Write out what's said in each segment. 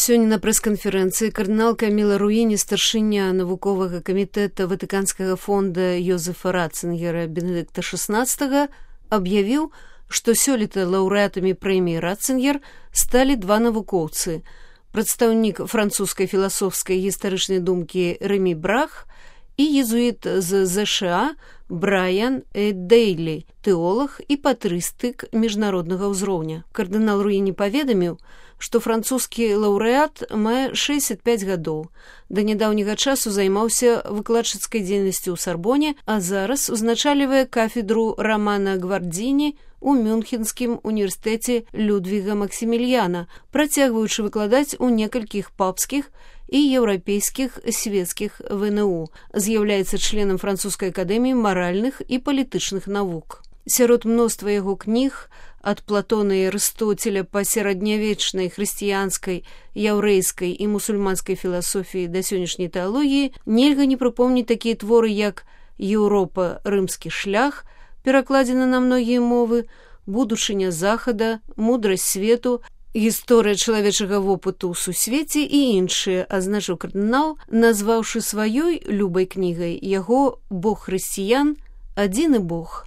Сёння на прэс-канферэнцыі кардынал Каміла Руіні, старшыня навуковага камітэта Ватыканскага фонда Йозефа Ратцингера Бенедыкта XVI, аб'явіў, што сёлета лаўрэатамі прэміі Ратцингер сталі два навукоўцы: прадстаўнік французскай філасофскай гістарычнай думкі Рэмі Брах і езуіт з ЗША Брайан Дейлі, тэолаг і патрыстык міжнароднага ўзроўня. Кардынал Руіні паведаміў, што французскі лаўрэат мае 65 гадоў. Да нядаўняга часу займаўся выкладчыцкай дзейнасцю ў Сарбоне, а зараз узначальвае кафедру Рамана Гвардзіні у Мюнхенскім універсітэце Людвіга Максіміліяна, працягваючы выкладаць у некалькіх папскіх і еўрапейскіх свецкіх ВНУ. З'яўляецца членам французскай акадэміі маральных і палітычных навук. Сярод мноства яго кніг ад Платона і Арыстоцеля па сярэднявечнай хрысціянскай, яўрэйскай і мусульманскай філасофіі да сённяшняй тэалогіі нельга не прыпомніць такія творы, як «Еўропа. Рымскі шлях», перакладзена на многія мовы, «Будучыня захада», «Мудрасць свету», «Гісторыя чалавечага вопыту ў сусвеце» і іншыя, адзначыў кардынал, назваўшы сваёй любай кнігай яго «Бог хрысціян. Адзіны Бог».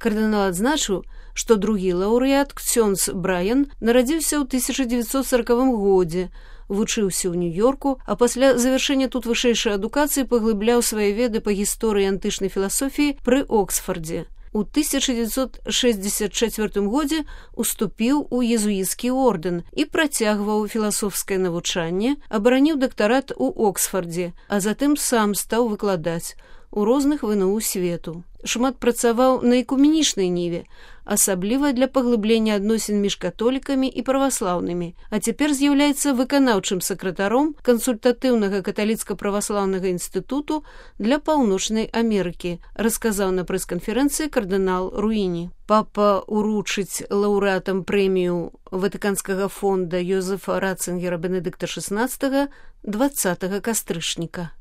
Кардынал адзначыў, што другі лаўрэат, ксёндз Брайан, нарадзіўся ў 1940 годзе, вучыўся ў Нью-Йорку, а пасля завяршэння тут вышэйшай адукацыі паглыбляў свае веды па гісторыі антычнай філасофіі пры Оксфордзе. У 1964 годзе уступіў у езуіцкі ордэн і працягваў філасофскае навучанне, абараніў дактарат у Оксфордзе, а затым сам стаў выкладаць у розных ВНУ свету. Шмат працаваў на экуменічнай ніве, асабліва для паглыблення адносін між католікамі і праваслаўнымі, а цяпер з'яўляецца выканаўчым сакратаром кансультатыўнага каталіцка-праваслаўнага інстытуту для Паўночнай Амерыкі, расказаў на прэс-канферэнцыі кардынал Руіні. Папа уручыць лаўрэатам прэмію Ватыканскага фонда Йозефа Ратцингера Бенедыкта XVI 20 кастрычніка.